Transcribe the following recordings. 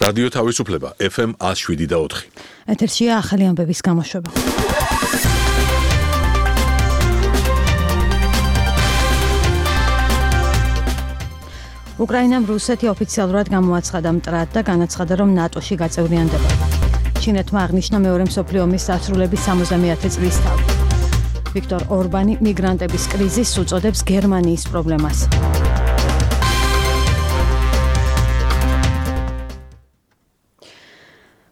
რადიო თავისუფლება FM 107.4. ეთერშია ახალი ამბების გამოშვება. უკრაინამ რუსეთი ოფიციალურად გამოაცხადა მტრად და განაცხადა, რომ ნატოში გაწევრიანდება. ჩინეთმა აღნიშნა მეორე მსოფლიო ომის დასრულების 70-ათი წლის თავი. ვიქტორ ორბანი მიგრანტების კრიზისს უწოდებს გერმანიის პრობლემას.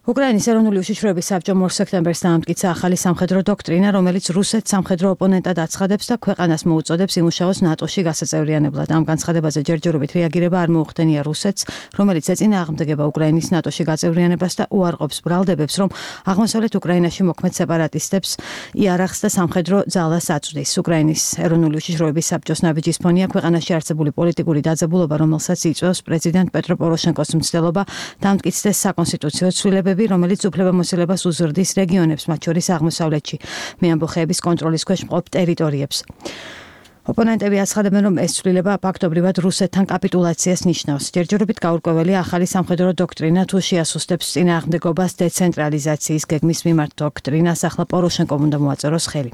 უკრაინის ეროვნული უშიშროების საბჭომ 2 სექტემბერს დაამტკიცა ახალი სამხედრო დოქტრინა, რომელიც რუსეთს სამხედრო ოპონენტად აცხადებს და ქვეყანას მოუწოდებს იმუშაოს ნატოში გასაწევრიანებლად. ამ განცხადებაზე ჯერჯერობით რეაგირება არ მოუხდენია რუსეთს, რომელიც ეწინააღმდეგება უკრაინის ნატოში გაწევრიანებას და უარყოფს ბრალდებებს, რომ აღმოსავლეთ უკრაინაში მოქმედ სეპარატისტებს იარაღს და სამხედრო ძალას აწვდის. უკრაინის ეროვნული უშიშროების საბჭოს ნაბიჯის ფონია ქვეყანაში არსებული პოლიტიკური დაძაბულობა, რომელსაც იწვევს პრეზიდენტ პეტრო პოროშენკოს მცდელობა დაამტკიცდეს საკონსტიტუციო ცვლილებები, რომელიც უფლებამოსილებას უზრდის რეგიონებს, მათ შორის აღმოსავლეთში, მეამბოხეების კონტროლის ქვეშ მყოფ ტერიტორიებს. ოპონენტები აცხადებენ, რომ ეს ცვლილება ფაქტობრივად რუსეთთან კაპიტულაციას ნიშნავს. ჯერჯერობით გაურკვეველია ახალი სამხედრო დოქტრინა თუ შეასუსტებს წინააღმდეგობას დეცენტრალიზაციის გეგმის მიმართ დოქტრინას, ახლა პოროშენკომ უნდა მოაწეროს ხელი.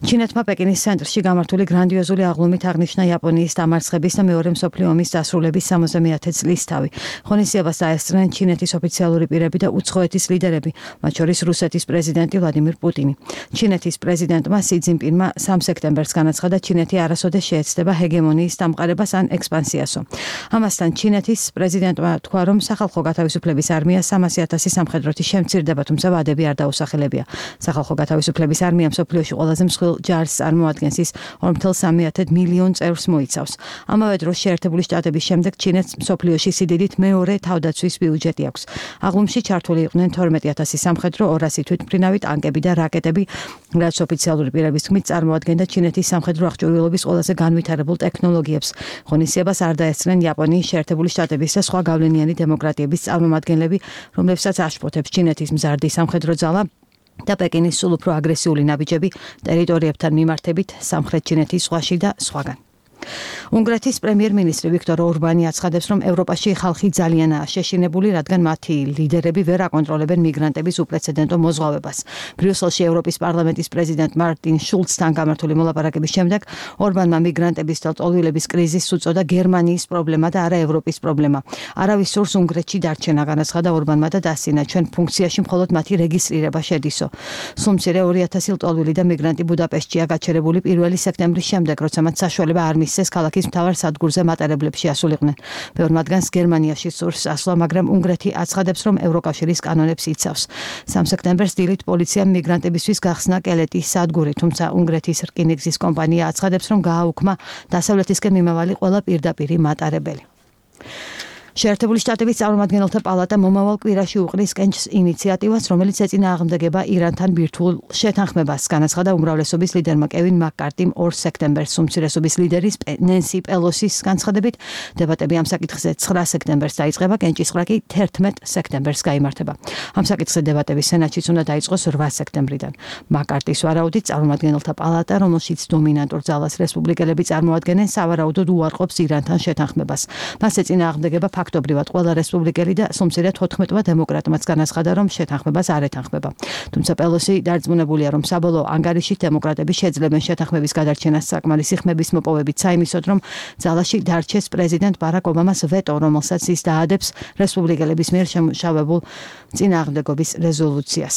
ჩინეთმა პეკინის ცენტრში გამართული გრანდიოზული აღლუმით აღნიშნა იაპონიის დამარცხების და მეორე მსოფლიო ომის დასრულების 70-ათი წლის თავი. ღონისძიებას დაესწრნენ ჩინეთის ოფიციალური პირები და უცხოეთის ლიდერები, მათ შორის რუსეთის პრეზიდენტი ვლადიმირ პუტინი. ჩინეთის პრეზიდენტმა სი ძინპინმა 3 სექტემბერს განაცხადა, ჩინეთი არასოდეს შეეცდება ჰეგემონიის დამყარებას ან ექსპანსიასო. ამასთან ჩინეთის პრეზიდენტმა თქვა, რომ სახალხო გათავისუფლების არმია 300,000 სამხედროთი შემცირდება, თუმცა ვადები არ დაუსახელებია. სახალხო გათავისუფლების არმია მსოფლიოში ყველაზე მსხვილ ჯარს წარმოადგენს, ის 2,3 მილიონ წევრს მოიცავს. ამავე დროს შეერთებული შტატების შემდეგ ჩინეთს მსოფლიოში სიდიდით მეორე თავდაცვის ბიუჯეტი აქვს. აღლუმში ჩართული იყვნენ 12,000 სამხედრო, 200 თვითმფრინავი ტანკები და რაკეტები, რაც ოფიციალური პირების თქმით წარმოადგენდა ჩინეთის სამხედრო აღჭურვილობის ყველაზე განვითარებულ ტექნოლოგიებს. ღონისძიებას არ დაესწრნენ იაპონიის, შეერთებული შტატების და სხვა გავლენიანი დემოკრატიების წარმომადგენლები, რომლებსაც აშფოთებს ჩინეთის მზარდი სამხედრო ძალა და პეკინის სულ უფრო აგრესიული ნაბიჯები ტერიტორიებთან მიმართებით სამხრეთ ჩინეთის ზღვაში და სხვაგან. უნგრეთის პრემიერ-მინისტრი ვიქტორ ორბანი აცხადებს, რომ ევროპაში ხალხი ძალიანაა შეშინებული, რადგან მათი ლიდერები ვერ აკონტროლებენ მიგრანტების უპრეცედენტო მოზღვავებას. ბრიუსელში ევროპის პარლამენტის პრეზიდენტ მარტინ შულცთან გამართული მოლაპარაკების შემდეგ ორბანმა მიგრანტების და ტოლვილების კრიზისს უწოდა გერმანიის პრობლემა და არა ევროპის პრობლემა. არავის სურს უნგრეთში დარჩენა, განაცხადა ორბანმა და დასცინა, ჩვენ ფუნქციაში მხოლოდ მათი რეგისტრირება შედისო. სულ მცირე 2,000 ტოლვილი და მიგრანტი ბუდაპეშტშია გაჩერებული 1 სექტემბრის შემდეგ, როცა მათ საშუალება არ მისცეს ქალაქის მთავარ სადგურზე მატარებლებში ასულიყვნენ. ბევრ მათგანს გერმანიაში სურს ასვლა, მაგრამ უნგრეთი აცხადებს, რომ ევროკავშირის კანონებს იცავს. 3 სექტემბერს დილით პოლიციამ მიგრანტებისთვის გახსნა კელეტის სადგური, თუმცა უნგრეთის რკინიგზის კომპანია აცხადებს, რომ გააუქმა დასავლეთისკენ მიმავალი ყველა პირდაპირი მატარებელი. შეერთებული შტატების წარმომადგენელთა პალატა მომავალ კვირაში უყრის კენჭს ინიციატივას, რომელიც ეწინააღმდეგება ირანთან ბირთვულ შეთანხმებას, განაცხადა უმრავლესობის ლიდერმა კევინ მაკ-კარტიმ 2 სექტემბერს. უმცირესობის ლიდერის ნენსი პელოსის განცხადებით, დებატები ამ საკითხზე 9 სექტემბერს დაიწყება, კენჭისყრა კი 11 სექტემბერს გაიმართება. ამ საკითხზე დებატები სენატშიც უნდა დაიწყოს 8 სექტემბრიდან. მაკ-კარტის ვარაუდით, წარმომადგენელთა პალატა, რომელშიც დომინანტურ ძალას რესპუბლიკელები წარმოადგენენ, სავარაუდოდ უარყოფს ირანთან შეთანხმებას. მას ეწინააღმდეგება ფაქტობრივად ყველა რესპუბლიკელი და სულ მცირე 14 დემოკრატმაც განაცხადა, რომ შეთანხმებას არ ეთანხმება. თუმცა პელოსი დარწმუნებულია, რომ საბოლოო ანგარიში დემოკრატები შეძლებენ შეთანხმების გადარჩენას საკმარისი ხმების მოპოვებით საიმისოდ, რომ ძალაში დარჩეს პრეზიდენტ ბარაკ ობამას ვეტო, რომელსაც ის დაადებს რესპუბლიკელების მიერ შემუშავებულ წინააღმდეგობის რეზოლუციას.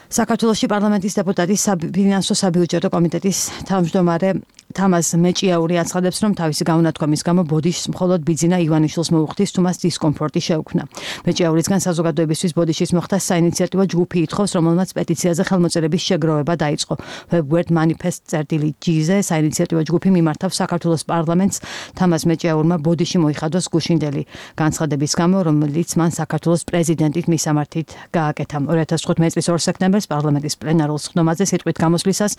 საქართველოში პარლამენტის დეპუტატი საფინანსო საბიუჯეტო კომიტეტის თავმჯდომარე თამაზ მეჭიაური აცხადებს, რომ თავისი გაუნათქვამის გამო ბოდიშს მხოლოდ ბიძინა ივანიშვილს მოუხდის, თუ მას დისკომფორტი შეუქმნა. მეჭიაურისგან საზოგადოებისთვის ბოდიშის მოხდა საინიციატივო ჯგუფი ითხოვს, რომელმაც პეტიციაზე ხელმოწერების შეგროვება დაიწყო. Web-word manifest.gz საინიციატივო ჯგუფი მიმართავს საქართველოს პარლამენტს თამაზ მეჭიაურმა ბოდიში მოიხადოს გუშინდელი განცხადების გამო, რომელიც მან საქართველოს პრეზიდენტით მისამართით გააკეთა. 2015 წლის 2 სექტემბერს პარლამენტის პლენარულ სხდომაზე სიტყვით გამოსვლისას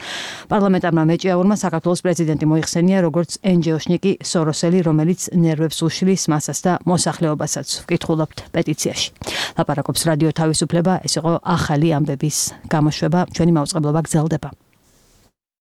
პარლამენტარმა მეჭიაურმა საქართველოს პრეზიდენტი მოიხსენია როგორც ენჯეოშნიკი სოროსელი, რომელიც ნერვებს უშლის მასას და მოსახლეობასაც. ვკითხულობთ პეტიციაში. ლაპარაკობს რადიო თავისუფლება, ეს იყო ახალი ამბების გამოშვება, ჩვენი მაუწყებლობა გრძელდება.